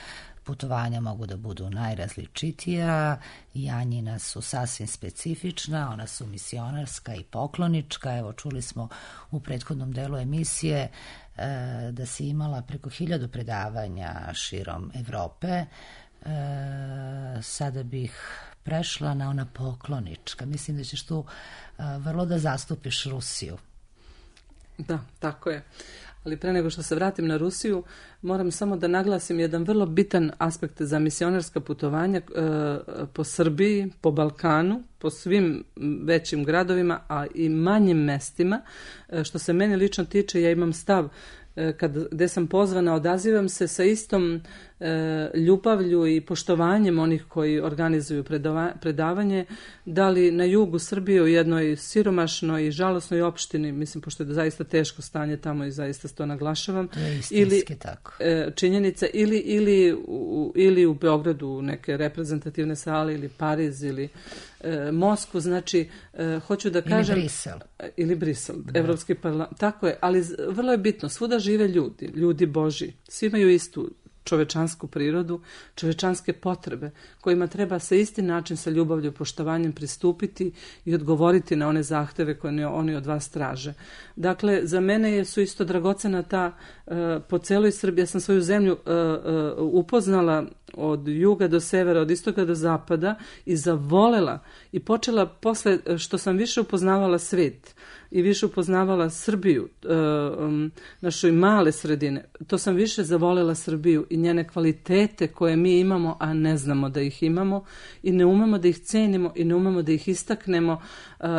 Putovanja mogu da budu najrazličitija. Janjina su sasvim specifična, ona su misionarska i poklonička. Evo, čuli smo u prethodnom delu emisije da si imala preko hiljadu predavanja širom Evrope. E, sada bih prešla na ona poklonička. Mislim da ćeš tu e, vrlo da zastupiš Rusiju. Da, tako je. Ali pre nego što se vratim na Rusiju, moram samo da naglasim jedan vrlo bitan aspekt za misionarska putovanja e, po Srbiji, po Balkanu, po svim većim gradovima, a i manjim mestima. E, što se meni lično tiče, ja imam stav kad, gde sam pozvana, odazivam se sa istom e, ljubavlju i poštovanjem onih koji organizuju predava, predavanje, da li na jugu Srbije u jednoj siromašnoj i žalosnoj opštini, mislim, pošto je zaista teško stanje tamo i zaista to naglašavam, to je istinski ili, tako. E, činjenica, ili, ili, u, ili u Beogradu u neke reprezentativne sale, ili Pariz, ili e, Moskvu, znači, e, hoću da kažem... Ili Brisel. Ili Brisel, da. Evropski parlament, tako je, ali vrlo je bitno, svuda žive ljudi, ljudi Božji, svi imaju istu čovečansku prirodu, čovečanske potrebe, kojima treba sa isti način, sa ljubavlju i poštovanjem pristupiti i odgovoriti na one zahteve koje oni od vas traže. Dakle, za mene su isto dragocena ta, uh, po celoj Srbiji, ja sam svoju zemlju uh, uh, upoznala od juga do severa, od istoka do zapada i zavolela i počela posle što sam više upoznavala svet, i više upoznavala Srbiju, našoj male sredine, to sam više zavolela Srbiju i njene kvalitete koje mi imamo, a ne znamo da ih imamo i ne umemo da ih cenimo i ne umemo da ih istaknemo,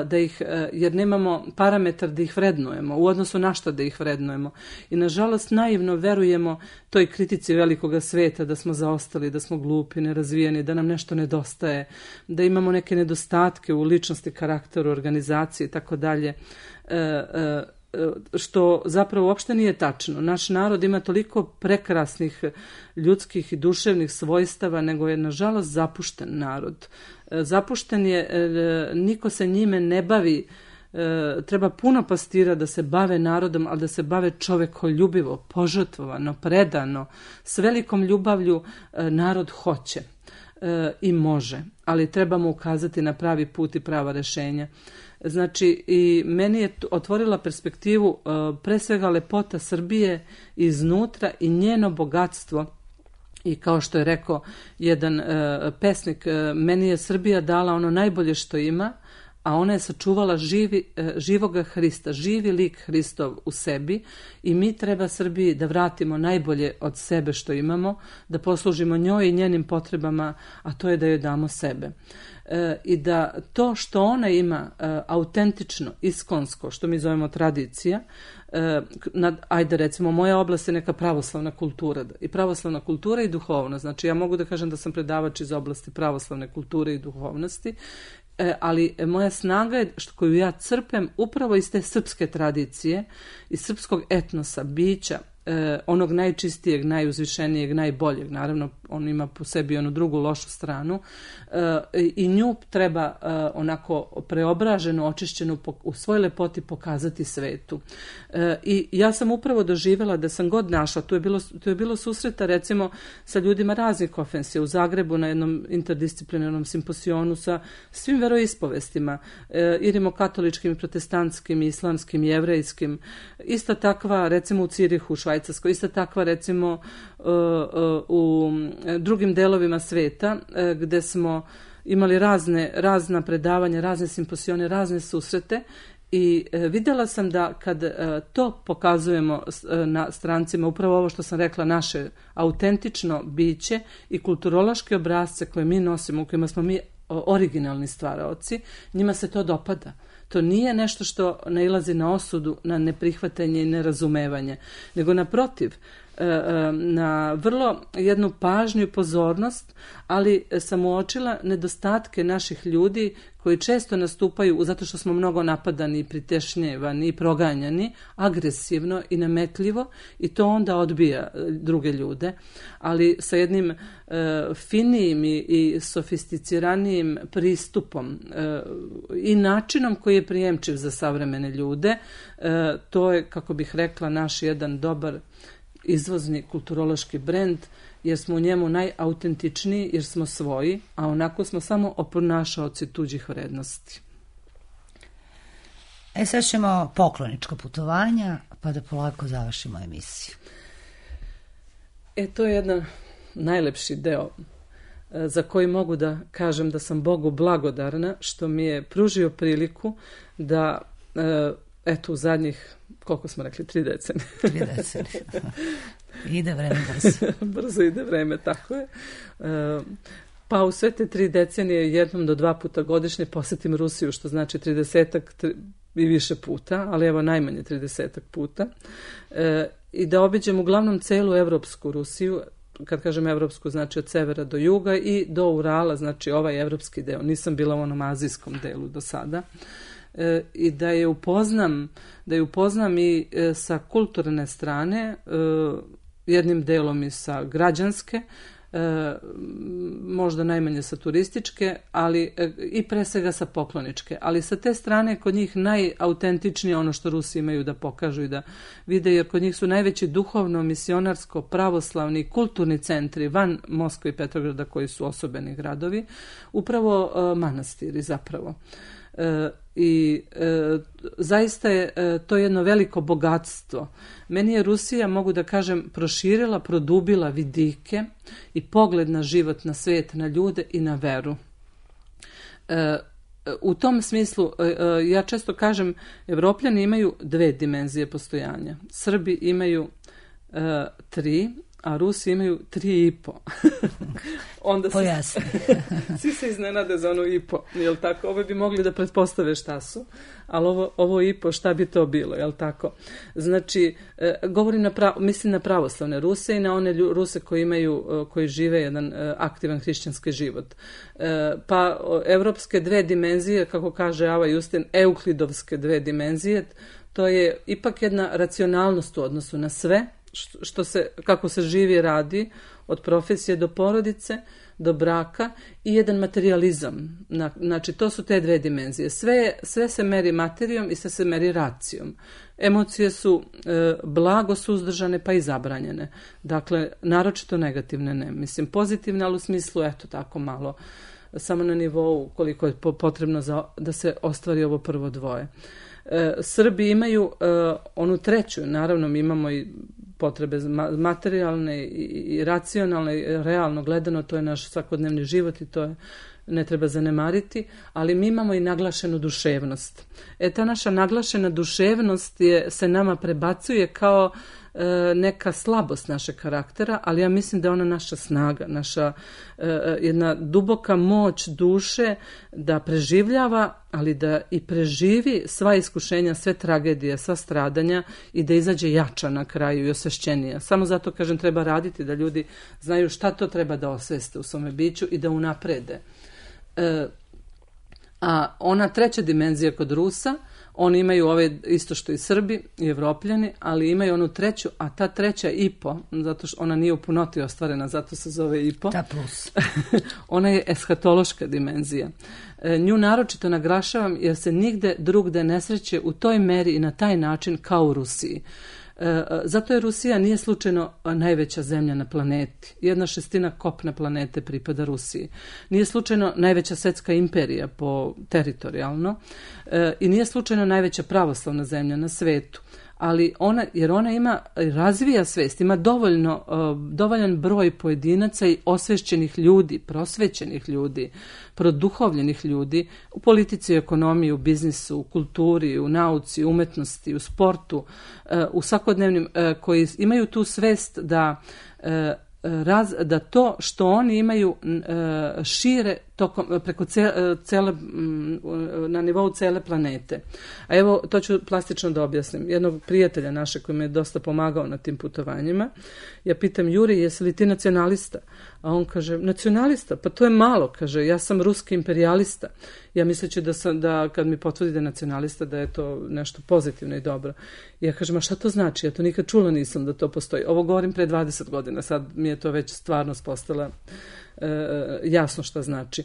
da ih, jer nemamo parametar da ih vrednujemo, u odnosu na što da ih vrednujemo. I nažalost naivno verujemo toj kritici velikoga sveta da smo zaostali, da smo glupi, nerazvijeni, da nam nešto nedostaje, da imamo neke nedostatke u ličnosti, karakteru, organizaciji i tako dalje, što zapravo uopšte nije tačno. Naš narod ima toliko prekrasnih ljudskih i duševnih svojstava, nego je nažalost zapušten narod. Zapušten je, niko se njime ne bavi, treba puno pastira da se bave narodom, ali da se bave čovekoljubivo, požrtvovano, predano, s velikom ljubavlju narod hoće i može, ali trebamo ukazati na pravi put i prava rešenja. Znači, i meni je otvorila perspektivu pre svega lepota Srbije iznutra i njeno bogatstvo. I kao što je rekao jedan pesnik, meni je Srbija dala ono najbolje što ima, a ona je sačuvala živi, živoga Hrista, živi lik Hristov u sebi i mi treba Srbiji da vratimo najbolje od sebe što imamo, da poslužimo njoj i njenim potrebama, a to je da joj damo sebe. E, I da to što ona ima e, autentično, iskonsko, što mi zovemo tradicija, e, nad, ajde recimo moja oblast je neka pravoslavna kultura i pravoslavna kultura i duhovnost. Znači ja mogu da kažem da sam predavač iz oblasti pravoslavne kulture i duhovnosti, E, ali moja snaga je što, koju ja crpem upravo iz te srpske tradicije, iz srpskog etnosa, bića, e, onog najčistijeg, najuzvišenijeg, najboljeg. Naravno, on ima po sebi onu drugu lošu stranu e, i nju treba e, onako preobraženu, očišćenu u svoj lepoti pokazati svetu. E, I ja sam upravo doživjela da sam god našla, tu je bilo, tu je bilo susreta recimo sa ljudima raznih konfesija u Zagrebu na jednom interdisciplinarnom simposionu sa svim veroispovestima, e, i rimokatoličkim, i protestantskim, i islamskim, i jevrejskim. Ista takva recimo u Cirihu, u Švajcarskoj, ista takva recimo uh, uh, u drugim delovima sveta uh, gde smo imali razne, razna predavanja, razne simposione, razne susrete i uh, vidjela sam da kad uh, to pokazujemo uh, na strancima, upravo ovo što sam rekla, naše autentično biće i kulturološke obrazce koje mi nosimo, u kojima smo mi originalni stvaraoci, njima se to dopada. To nije nešto što nailazi na osudu, na neprihvatanje i nerazumevanje, nego naprotiv, na vrlo jednu pažnju i pozornost, ali sam uočila nedostatke naših ljudi koji često nastupaju zato što smo mnogo napadani i pritešnjevani i proganjani, agresivno i nametljivo i to onda odbija druge ljude, ali sa jednim e, finijim i, i sofisticiranijim pristupom e, i načinom koji je prijemčiv za savremene ljude, e, to je, kako bih rekla, naš jedan dobar izvozni kulturološki brend, jer smo u njemu najautentičniji, jer smo svoji, a onako smo samo oponašaoci tuđih vrednosti. E sad ćemo poklonička putovanja, pa da polako završimo emisiju. E, to je jedan najlepši deo za koji mogu da kažem da sam Bogu blagodarna što mi je pružio priliku da, eto, u zadnjih, koliko smo rekli, tri decenije. Tri decenije. Ide vreme brzo. Brzo ide vreme, tako je. Pa u sve te tri decenije jednom do dva puta godišnje posetim Rusiju, što znači tridesetak i više puta, ali evo najmanje tridesetak puta. I da obiđem uglavnom celu evropsku Rusiju, kad kažem evropsku, znači od severa do juga i do Urala, znači ovaj evropski deo. Nisam bila u onom azijskom delu do sada. E, i da je upoznam, da je upoznam i e, sa kulturne strane, e, jednim delom i sa građanske, e, možda najmanje sa turističke, ali e, i pre svega sa pokloničke. Ali sa te strane kod njih najautentičnije ono što Rusi imaju da pokažu i da vide, jer kod njih su najveći duhovno, misionarsko, pravoslavni, kulturni centri van Moskve i Petrograda koji su osobeni gradovi, upravo e, manastiri zapravo. E, i e, zaista je e, to jedno veliko bogatstvo. Meni je Rusija, mogu da kažem, proširila, produbila vidike i pogled na život, na svijet, na ljude i na veru. E, u tom smislu, ja često kažem, Evropljani imaju dve dimenzije postojanja. Srbi imaju uh, tri, a Rusi imaju tri i po. Onda se, Pojasni. svi se iznenade za ono i po, jel tako? Ovo bi mogli da pretpostave šta su, ali ovo, ovo i po, šta bi to bilo, jel tako? Znači, e, govorim na pravo, mislim na pravoslavne Ruse i na one lju, Ruse koji imaju, koji žive jedan e, aktivan hrišćanski život. E, pa evropske dve dimenzije, kako kaže Ava Justin, euklidovske dve dimenzije, to je ipak jedna racionalnost u odnosu na sve, što se, kako se živi i radi, od profesije do porodice, do braka i jedan materializam. Znači, to su te dve dimenzije. Sve, sve se meri materijom i sve se meri racijom. Emocije su e, blago suzdržane pa i zabranjene. Dakle, naročito negativne ne. Mislim, pozitivne, ali u smislu, eto, tako malo, samo na nivou koliko je potrebno za, da se ostvari ovo prvo dvoje. E, Srbi imaju e, onu treću, naravno mi imamo i potrebe materijalne i racionalne i realno gledano, to je naš svakodnevni život i to je, ne treba zanemariti, ali mi imamo i naglašenu duševnost. E, ta naša naglašena duševnost je, se nama prebacuje kao e, neka slabost našeg karaktera, ali ja mislim da je ona naša snaga, naša e, jedna duboka moć duše da preživljava, ali da i preživi sva iskušenja, sve tragedije, sva stradanja i da izađe jača na kraju i osvešćenija. Samo zato, kažem, treba raditi da ljudi znaju šta to treba da osveste u svome biću i da unaprede. E, a ona treća dimenzija kod Rusa, oni imaju ove isto što i Srbi i Evropljani, ali imaju onu treću, a ta treća i po, zato što ona nije u punoti ostvarena, zato se zove i po. Ta plus. Ona je eshatološka dimenzija. E, nju naročito naglašavam jer se nigde drugde ne sreće u toj meri i na taj način kao u Rusiji. E, zato je Rusija nije slučajno najveća zemlja na planeti. Jedna šestina kopna planete pripada Rusiji. Nije slučajno najveća svetska imperija po teritorijalno e, i nije slučajno najveća pravoslavna zemlja na svetu. Ali ona, jer ona ima, razvija svest, ima dovoljno, dovoljan broj pojedinaca i osvešćenih ljudi, prosvećenih ljudi, produhovljenih ljudi u politici, u ekonomiji, u biznisu, u kulturi, u nauci, u umetnosti, u sportu, u svakodnevnim, koji imaju tu svest da Raz, da to što oni imaju e, šire tokom, preko cele, cele, na nivou cele planete. A evo, to ću plastično da objasnim. Jednog prijatelja naše koji me je dosta pomagao na tim putovanjima, ja pitam, Juri, jesi li ti nacionalista? A on kaže, nacionalista? Pa to je malo, kaže, ja sam ruski imperialista. Ja misleći da, sam, da kad mi potvrdi da je nacionalista, da je to nešto pozitivno i dobro. I ja kažem, a šta to znači? Ja to nikad čula nisam da to postoji. Ovo govorim pre dvadeset godina, sad mi je to već stvarnost postala e, jasno šta znači.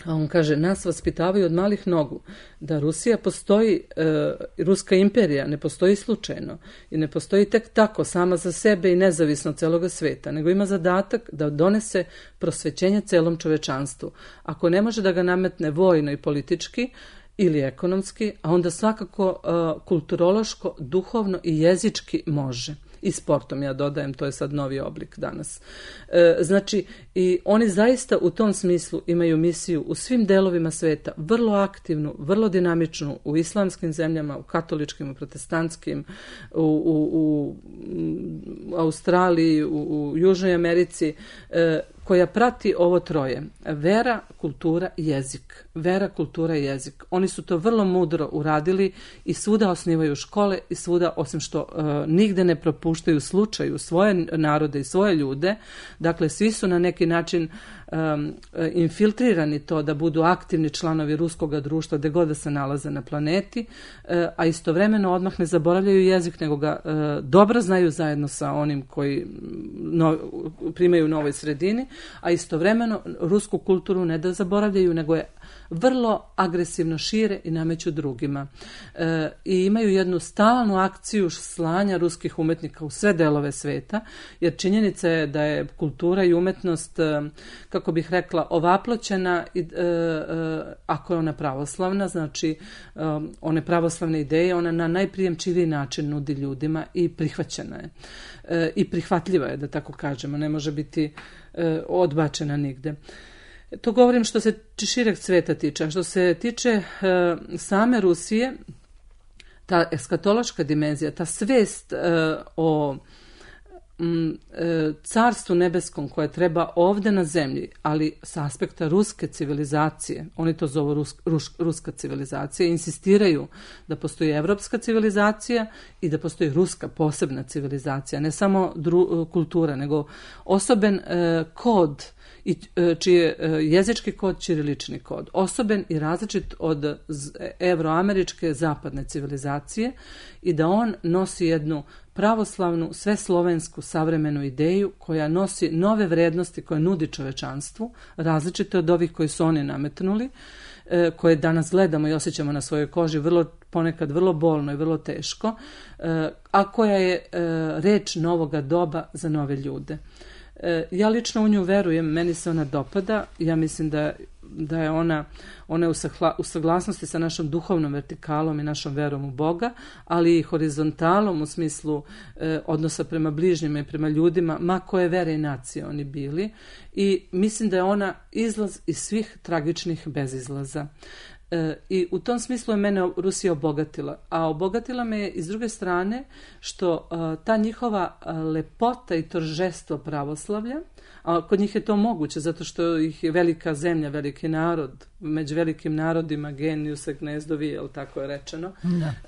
A on kaže, nas vaspitavaju od malih nogu da Rusija postoji, e, Ruska imperija ne postoji slučajno i ne postoji tek tako sama za sebe i nezavisno od celoga sveta, nego ima zadatak da donese prosvećenje celom čovečanstvu. Ako ne može da ga nametne vojno i politički ili ekonomski, a onda svakako e, kulturološko, duhovno i jezički može. I sportom, ja dodajem, to je sad novi oblik danas. E, znači, i oni zaista u tom smislu imaju misiju u svim delovima sveta, vrlo aktivnu, vrlo dinamičnu, u islamskim zemljama, u katoličkim, u protestantskim, u, u, u, u Australiji, u, u Južnoj Americi, e, koja prati ovo troje. Vera, kultura i jezik. Vera, kultura i jezik. Oni su to vrlo mudro uradili i svuda osnivaju škole i svuda, osim što uh, nigde ne propuštaju slučaju svoje narode i svoje ljude, dakle svi su na neki način um, infiltrirani to da budu aktivni članovi ruskog društva gde god da se nalaze na planeti, uh, a istovremeno odmah ne zaboravljaju jezik, nego ga uh, dobro znaju zajedno sa onim koji no, primaju u novoj sredini, a istovremeno rusku kulturu ne da zaboravljaju, nego je vrlo agresivno šire i nameću drugima. E, I imaju jednu stalnu akciju slanja ruskih umetnika u sve delove sveta, jer činjenica je da je kultura i umetnost, e, kako bih rekla, ovaploćena, e, e, ako je ona pravoslavna, znači e, one pravoslavne ideje, ona na najprijemčiviji način nudi ljudima i prihvaćena je. E, I prihvatljiva je, da tako kažemo, ne može biti e, odbačena nigde. To govorim što se šireg sveta tiče. A što se tiče e, same Rusije, ta eskatološka dimenzija, ta svest e, o m, e, carstvu nebeskom koje treba ovde na zemlji, ali s aspekta ruske civilizacije, oni to zovu rus, rus, ruska civilizacija, insistiraju da postoji evropska civilizacija i da postoji ruska posebna civilizacija, ne samo dru, kultura, nego osoben e, kod i čiji je jezički kod ćirilični kod, osoben i različit od evroameričke zapadne civilizacije i da on nosi jednu pravoslavnu, sveslovensku savremenu ideju koja nosi nove vrednosti koje nudi čovečanstvu, različite od ovih koji su oni nametnuli, koje danas gledamo i osjećamo na svojoj koži vrlo, ponekad vrlo bolno i vrlo teško, a koja je reč novoga doba za nove ljude. Ja lično u nju verujem, meni se ona dopada, ja mislim da, da je ona, ona je u saglasnosti sa našom duhovnom vertikalom i našom verom u Boga, ali i horizontalom u smislu eh, odnosa prema bližnjima i prema ljudima, ma koje vere i nacije oni bili, i mislim da je ona izlaz iz svih tragičnih bezizlaza. E, I u tom smislu je mene Rusija obogatila, a obogatila me je i s druge strane što a, ta njihova a, lepota i торжество pravoslavlja, a kod njih je to moguće zato što ih je velika zemlja, veliki narod, među velikim narodima genijus et gnezdovi, jel tako je rečeno,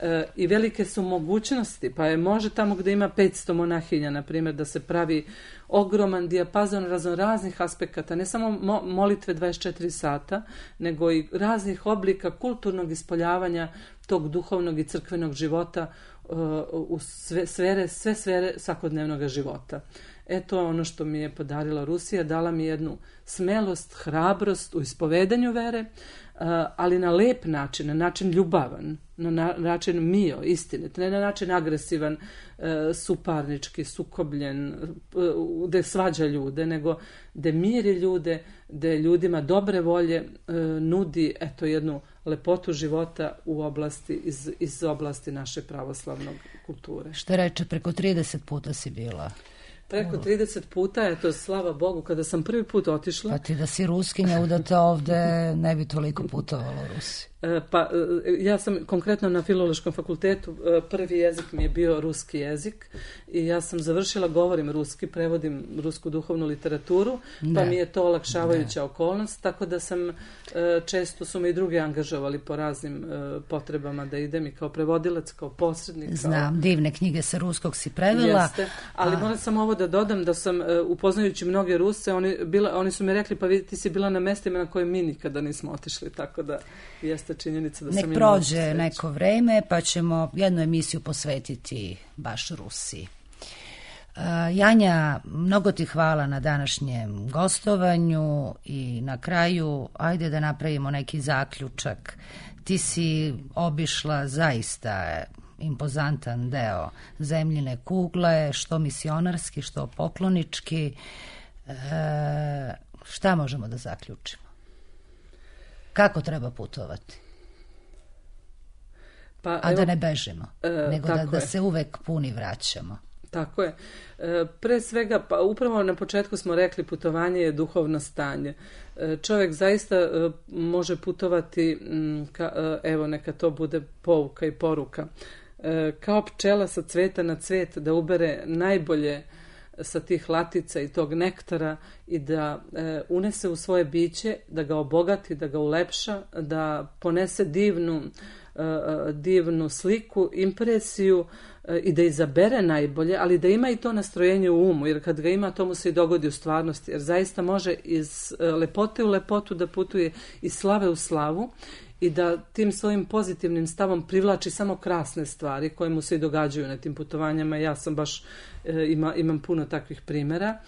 e, i velike su mogućnosti, pa je može tamo gde ima petsto monahinja, na primjer, da se pravi ogroman dijapazon raznoraznih aspekata, ne samo mo- molitve dvadeset četiri sata, nego i raznih oblika kulturnog ispoljavanja tog duhovnog i crkvenog života uh, u sve sfere, sve sfere svakodnevnog života. E, to je ono što mi je podarila Rusija, dala mi jednu smelost, hrabrost u ispovedanju vere, ali na lep način, na način ljubavan, na način mio, istinit, ne na način agresivan, suparnički, sukobljen, gde svađa ljude, nego gde miri ljude, gde ljudima dobre volje nudi eto jednu lepotu života u oblasti, iz, iz oblasti naše pravoslavnog kulture. Što reče, preko trideset puta si bila? Preko trideset puta, eto, slava Bogu, kada sam prvi put otišla... Pa ti da si Ruskinja udata ovde, ne bi toliko putovala u Rusiji. Pa, ja sam konkretno na Filološkom fakultetu, prvi jezik mi je bio ruski jezik i ja sam završila, govorim ruski, prevodim rusku duhovnu literaturu, pa ne. mi je to olakšavajuća ne. okolnost, tako da sam, često su me i drugi angažovali po raznim potrebama da idem i kao prevodilac, kao posrednik. Kao... Znam, divne knjige sa ruskog si prevela. Jeste, ali a... moram samo ovo da dodam da sam, upoznajući mnoge Ruse, oni, bila, oni su mi rekli, pa vidi, ti si bila na mestima na koje mi nikada nismo otišli, tako da jeste činjenica da nek sam prođe neko vreme pa ćemo jednu emisiju posvetiti baš Rusiji. Uh, Janja, mnogo ti hvala na današnjem gostovanju i na kraju ajde da napravimo neki zaključak. Ti si obišla zaista impozantan deo zemljine kugle, što misionarski, što poklonički. Uh, šta možemo da zaključimo? Kako treba putovati? Pa, A evo, da ne bežimo, e, nego da, da se uvek puni vraćamo. Tako je. E, pre svega, pa upravo na početku smo rekli putovanje je duhovno stanje. E, čovjek zaista e, može putovati, m, ka, e, evo neka to bude pouka i poruka, e, kao pčela sa cveta na cvet da ubere najbolje sa tih latica i tog nektara i da e, unese u svoje biće, da ga obogati, da ga ulepša, da ponese divnu, e, divnu sliku, impresiju e, i da izabere najbolje, ali da ima i to nastrojenje u umu, jer kad ga ima, to mu se i dogodi u stvarnosti, jer zaista može iz e, lepote u lepotu da putuje, iz slave u slavu i da tim svojim pozitivnim stavom privlači samo krasne stvari koje mu se i događaju na tim putovanjama. Ja sam baš, e, ima, imam puno takvih primjera.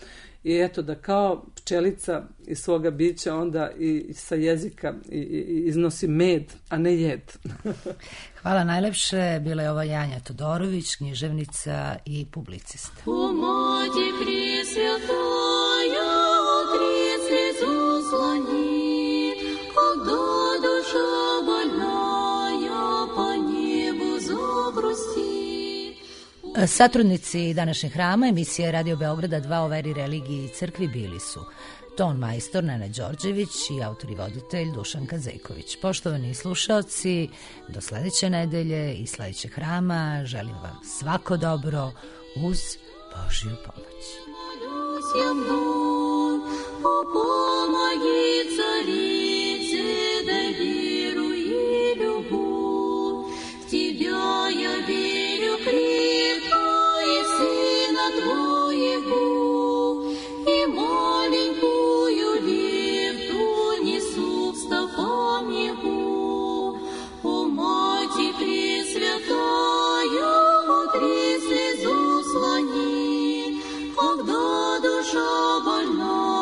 I eto da kao pčelica iz svoga bića onda i sa jezika i, i, iznosi med, a ne jed. Hvala najlepše. Bila je ova Janja Todorović, književnica i publicista. Помоги Пресвятая, Трицу слони, когда душа больная по небу загрустит. Satrudnici današnjeg hrama emisije Radio Beograda dva o veri, religiji i crkvi bili su ton majstor Nena Đorđević i autor i voditelj Dušan Kazejković. Poštovani slušaoci, do sledeće nedelje i sledećeg hrama želim vam svako dobro uz Božju pomoć. Помоги, царице, дай веру и любовь. В тебя я верю крепко, и Сына Твоего, и маленькую лепту несу в стопам Его. О, Мати Пресвятая, утри слезу слони, когда душа больна.